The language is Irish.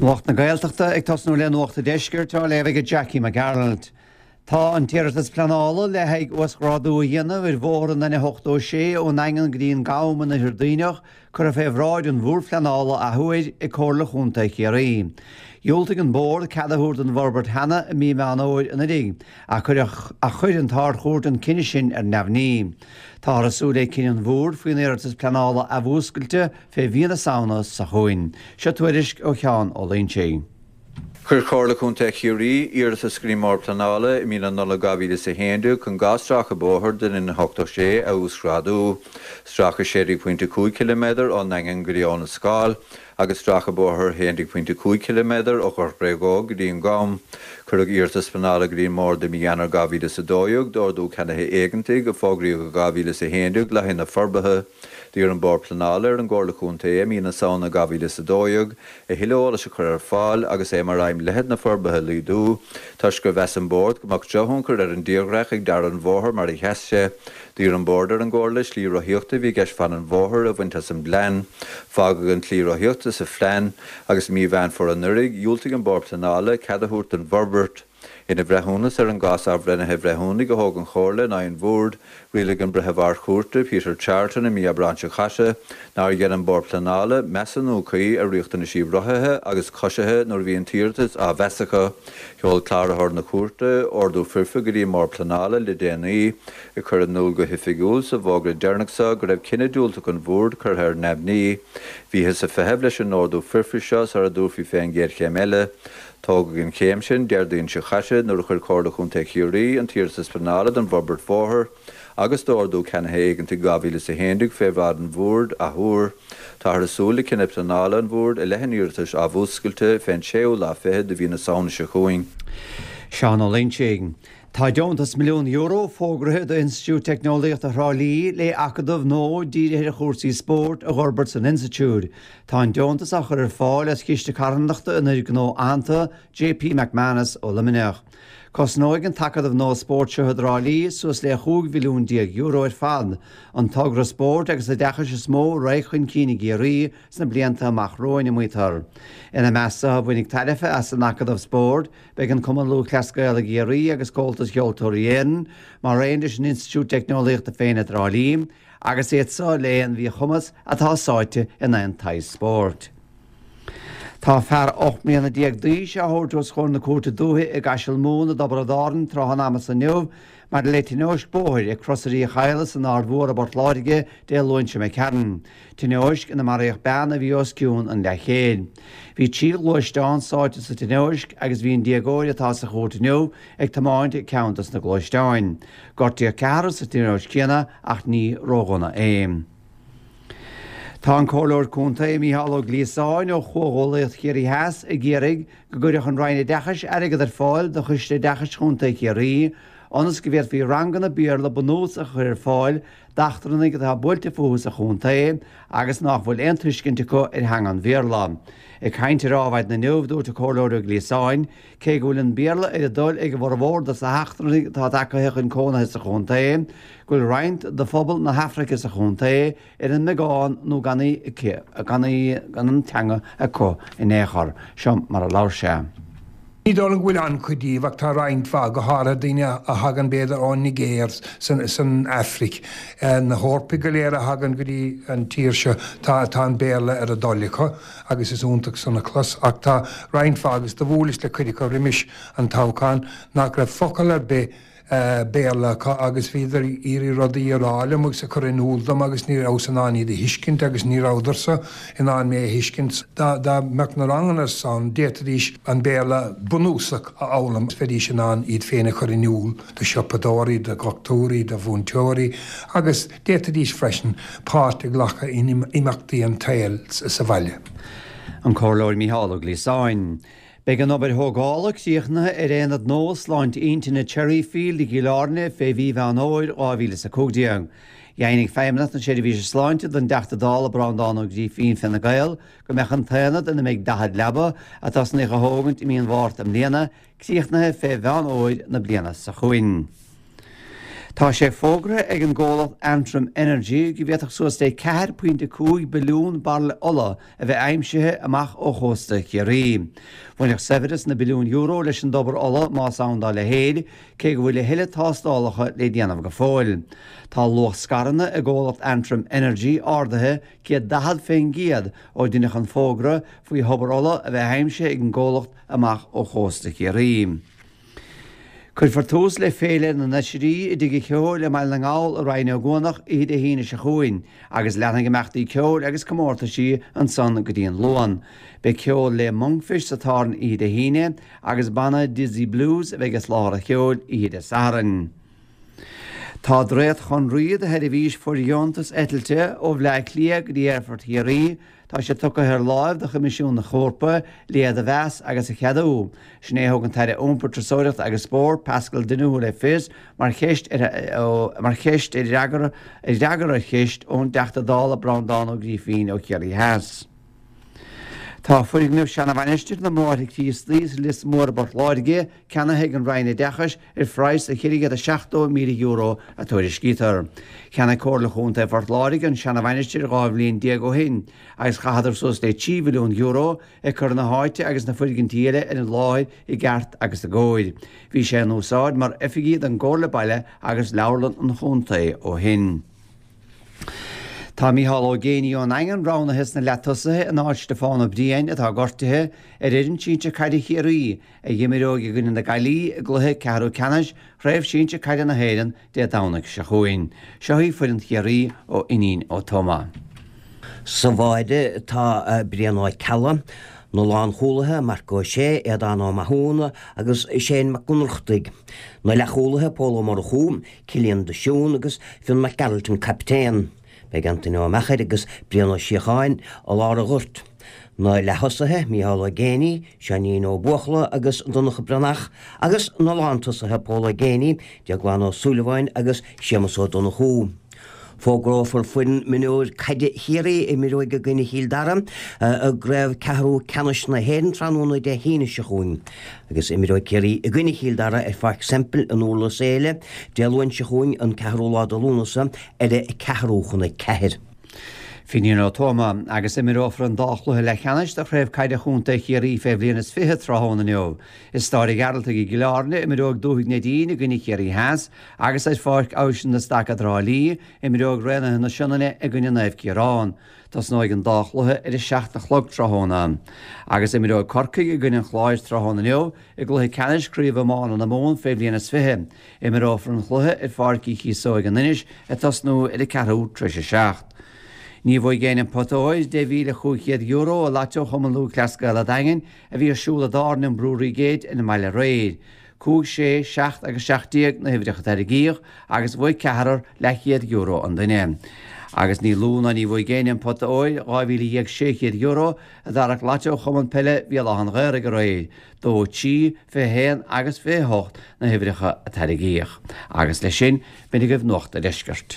Nuacht na Gaeltachta ag tosnú le Nuacht an Deiscirt á léamh ag Jackie Mac Gearailt. Tá an t-iarratas pleanála le haghaidh uasghrádú a dhéanamh ar bhóthar an N86 ón nDaingean go dtí an gCam in Oirthear Duibhneach curtha fé bhráid an Bhoird Phleanála athuair ag Comhairle Chontae Chiarraí. Dhiúltaigh an Bord cead a thabhairt don bhforbairt cheana i mí Meán Fhómhair anuraidh ach chuir an tArd-Chúirt an cinneadh sin ar neamhní. Táthar ag súil le cinneadh an Bhoird faoin iarratas pleanála athmhúscailte fé mhí na Samhna seo chugainn. Seo tuairisc ó Sheán Ó Loinsigh. Chuir Comhairle Contae Chiarraí iarratas go dtí an mBord Pleanála i mí na Nollag 2011 chun 2 stráice bóthair den N86 a uasghrádú, stráice 16.5 ciliméadar ón nDaingean go dtí Abhainn an Scáil agus stráice bóthair 11.5 ciliméadar ó Ghort Bhréagóg go dtí an gCam. Cuireadh iarratas pleanála go dtí an mBord i mí Eanáir 2012 d'ordú ceannaithe éigeantaigh a fógraíodh i 2011 le haghaidh na forbartha. D'iarr an Bord Pleanála ar an gComhairle Contae i mí na Samhna 2012 a thuilleadh eolais a chur ar fáil agus é mar aidhm leithead na forbartha a laghdú, toisc gur mheas an Bord go mbeadh drochthionchar ar an dtírdhreach ag dearadh an bhóthair mar a sheas sé. D'iarr an Bord ar an gComhairle slí rothaíochta a bhí i gceist fan an bhóthair a bhaint as an bplean. Fágadh an tslí rothaíochta sa phlean agus i mí Mheán Fómhair anuraidh, dhiúltaigh an Bord Pleanála cead a thabhairt don bhforbairt. Ina bhreithiúnas ar an gcás athbhreithnithe bhreithiúnaigh a thóg an Chomhairle in aghaidh an Bhoird, rialaigh an Breitheamh Ard-Chúirte, Peter Charleton i mí Aibreáin seo caite, nár dhein an Bord Pleanála measúnú cuí ar riachtanaisí rothaithe agus coisithe nuair a bhí an t-iarratas á mheas acu. Sheol Cláraitheoir na Cúirte ordú foirfe go dtí an mBord Pleanála le déanaí, ag cur in iúl go hoifigiúil sa bhfógra deireanach seo go raibh cinneadh diúltach an Bhoird curtha ar neamhní. Bhíothas ag feitheamh leis an ordú foirfe seo sara dtabharfaí fén gcéad chéim eile. Tógadh an chéim sin Déardaoin seo chaite nuair a chuir Comhairle Chontae Chiarraí an t-iarratas pleanála don bhforbairt bhóthair agus d'ordú ceannaithe éigeantaigh 2011 fé bhráid an Bhoird athuair. Táthar ag súil le cinneadh pleanála an Bhoird i leith an iarratais athmhúscailte fén séú lá fichead de mhí na Samhna seo chugainn. Seán Ó Loinsigh. Tá deontas €1 milliún fógraithe d'Institiúid Teicneolaíochta Thrá Lí le acadamh nua dírithe ar chúrsaí spóirt a dh'fhorbairt san institiúid. Tá an deontas á chur ar fáil as Chiste Carthanachta an fhir gnó aitheanta JP McManus ó Luimneach. Cosnóidh an t-acadamh nua spóirt seo i dTrá Lí suas le €15 mhilliún ar fad, an togra spóirt agus oideachais is mó a raghaidh chun cinn i gCiarraí sna blianta amach romhainn, a maítear. Ina measc so a bhainfidh tairbhe as an acadamh spóirt, Beidh an Cumann Lúthchleas Gael i gCiarraí agus Comhaltas Cheoltóirí Éireann, mar aon leis an Institiúid Teicneolaíochta féin i dTrá Lí, agus iad so le aon mhíchumas atá sáite in aon tsaghas spóirt. Tá fear 18 mbliana d'aois á thabhairt os comhair na Cúirte Dúiche i gCaiseal Mumhan i dTiobraid Árann trátha an ama so inniu maidir le tionóisc bóthair ag Crosairí Chadhla san Aird Mhór i bPort Láirge Dé Luain seo imigh tharainn. Tionóisc ina maraíodh bean a bhí os cionn an leathchéid. Bhí 3 ghluaisteán sáite sa tionóisc agus bhí an déagóir atá sa chúirt inniu ag tiomáint ceann dos na gluaisteáin. Gortaíodh ceathrar sa tionóisc chéanna ach ní ródhona é. Tá an Comhairleoir Contae Mícheál Ó Gliasáin ó Chomhghuallaíocht Chiarraí Theas ag iarraidh go gcuirfeadh an Roinn Oideachais airgead ar fáil do Choiste Oideachais Chontae Chiarraí ionas go bhféadfaí ranganna Béarla bunúsach a chur ar fáil d'eachtrannaigh atá buailte fúthu sa chontae agus nách bhfuil aon tuiscint acu ar theanga an Bhéarla. Ag caint ar Adhmhaidin inniu, dúirt an Comhairleoir Ó Gliasáin, cé go bhfuil an Béarla ar a dtoil ag a bhformhór dos na heachtrannaigh atá tagaithe chun cónaithe sa chontae, go bhfuil roinnt de phobal na hAfraice sa chontae ar an mbeagán nó gan í gan an teanga acu in aon chor. Seo mar a labhair sé. Ní dóigh liom go bhfuil an-chuid díobh ach tá roinnt mhaith, go háirithe daoine a thagann b'fhéidir ón Nigéir san Afraic. Na hEorpaigh go léir a thagann go dtí an tír seo, tá tá an Béarla ar a dtoil acu agus is iontach san a chlos ach tá roinnt mhaith agus do bhuaileas le cuid acu roimis an toghchán nach raibh focal ar bith Béarla acu agus bhíodar ag iarraidh rudaí a rá liom agus a chur in iúl dom agus ní rabhas in ann iad a thuiscint agus ní rabhadarsa in ann mé a thuiscint. Dá mbeadh na ranganna san, d'fhéadfaidís an Béarla bunúsach a fhoghlaim, bheidís in ann iad féin a chur in iúl do shiopadóirí, do dhochtúirí, do mhúinteoirí agus d'fhéadfaidís freisin páirt a ghlacadh in imeachtaí an tsaoil sa bhaile. An Comhairleoir Mícheál Ó Gliasáin. Beidh an obair thógála críochnaithe ar Aonad nua Sláinte Intinne Cherryfield i gCill Airne fé mhí Mheán Fhómhair 2015. Dheimhnigh Feidhmeannacht na Seirbhíse Sláinte don dTeachta Dála Breandán Ó Grífín, Fine Gael, go mbeadh an t-aonad ina mbeidh 40 leaba, a tosnaíodh a thógaint i mí an Mhárta i mbliana, críochnaithe fé Mheán Fhómhair na bliana seo chugainn. Tá sé fógraithe ag an gcomhlacht Antrim Energy go bhféadfadh suas le 4.5 billiún bairille ola a bheith aimsithe amach ó chósta Chiarraí. Bhainfeadh saibhreas na billiún euro leis an dtobar ola más ann dá leithéid, cé go bhfuil a thuilleadh tástálacha le déanamh go fóill. Tá luach scaireanna i gcomhlacht Antrim Energy ardaithe 140% ó deineadh an fógra faoi thobar ola a bheith aimsithe ag an gcomhlacht amach ó chósta Chiarraí. Cuirfear tús le Féile na nOisrí i dTigh an Cheoil i mBaile na nGall i Rinn Ó gCuanach oíche Dé hAoine seo chugainn agus leanfaidh imeachtaí ceoil agus comórtaisí ansan go dtí an Luan. Beidh ceol le Monkfish sa taibhreann oíche Dé hAoine agus banna Dizzy Blues a bheidh ag soláthar an cheoil oíche Dé Sathairn. Tá dréacht-chonraí do sheirbhís fóirdheontas eitilte ó Bhleá Cliath go dtí Aerfort Chiarraí Tá sé tugtha ar láimh do Choimisiún na hEorpa le iad a mheas agus a cheadú. Sin é a thug an tAire Iompair, Turasóireachta agus Spóirt, Paschal Donohoe le fios mar cheist ar mar cheist ar fhreagra ar fhreagra ar cheist ón dTeachta Dála Breandán Ó Grífín ó Chiarraí Theas. Tá foirgneamh seana-mhainistir na mBráithre Críostaí sa Lios Mór i bPort Láirge ceannaithe ag an Roinn Oideachais ar phraghas de €470,000, a tuairiscítear. Cheannaigh Comhairle Chontae Phort Láirge an seana-mhainistir 12 bhliain ó shin agus chaitheadar suas le €3 mhilliún ag cur na háite agus na foirgintí eile ar an láthair i gceart agus i gcóir. Bhí sé in úsáid mar oifigí don gComhairle Baile agus Leabharlann an Chontae ó shin. Tá Micheál Ó Géibheannaigh ón nDaingean roghnaithe sna leatosaithe in áit Stiofán Ó Briain, atá gortaithe, ar fhoireann sinsir caide Chiarraí, a dh'imreoidh i gcoinne na Gaillimhe i gcluiche ceathrú ceannais Chraobh Shinsir Caide na hÉireann Dé Domhnaigh seo chugainn. Seo í foireann Chiarraí ó Fhinín Ó Tuama. Sa bháide tá Brian Ó Ceallaigh, na lánchúlaithe, Marc Ó Sé, Aodán Ó Mathúna agus Shane Mac Ionnrachtaigh, na leathchúlaithe, Pól Ó Murchú, Cillian de Siún agus Fionn Mac Gearailt an captaen. Beidh Antaine Ó Meachair agus Brian Ó Síocháin i lár an ghoirt. Na leath-thosaithe, Micheál Ó Géibheannaigh, Seáinín Ó Buachalla agus Donncha Breathnach agus na lántosaithe Pól Ó Géibheannaigh, Déaglán Ó Súilleabháin agus Séamus Ó Donnchú. Fógrófar foireann mionúir caide Chiarraí a imreoidh i gcoinne Chill Dara i gCraobh Ceathrú Ceannais na hÉireann tráthnóna Dé hAoine seo chugainn agus imreoidh Ciarraí i gcoinne Chill Dara ar Pháirc Semple in Durlas Éile Dé Luain seo chugainn an ceathrú lá de Lúnasa ar a ceathrú chun a ceathair. Fínín Ó Tuama, agus imreofar an dá chluiche leathcheannais de Chraobh Caide Chontae Chiarraí fé bhliain is 20 tráthnóna inniu. I Staid an Ghearaltaigh i gCill Airne, imreoidh Dúthaigh Neidín i gcoinne Chiarraí Theas agus ar Pháirc Abhaisin na Stac i dTrá Lí, imreoidh Raonaithe na Sionainne i gcoinne Naomh Ciarán. Tosnóidh an dá chluiche ar a seacht a chlog tráthnóna. Agus imreoidh Corcaigh i gcoinne an Chláir tráthnóna inniu i gcluiche ceannais Craobh Iomána na Mumhan fé bhliain is 20. Imreofar an chluiche ar Pháirc Uí Chíosóig in Inis ag tosnú ar a ceathrú tar éis a 7. Ní bhuaigh éinne an pota óir, €10,500, i Lató Chumann Lúthchleas Gael a' Daingin a bhí ar siúl i dtábhairne an Brewery Gate ar an mbaile aréir. 5, 6, 7 agus 17 na huimhreacha a tarraingíodh agus bhuaigh ceathrar leathchéad euro an duine. Agus ní lú ná ní bhuaigh éinne an pota óir, €12,600, a d'tharrac Lató Chumann Peile Bhéal Átha an Ghaorthaidh aréir. 2, 3, 21 agus 28 na huimhreacha a tarraingíodh. Agus leis sin, b'in agaibh Nuacht a' Deiscirt.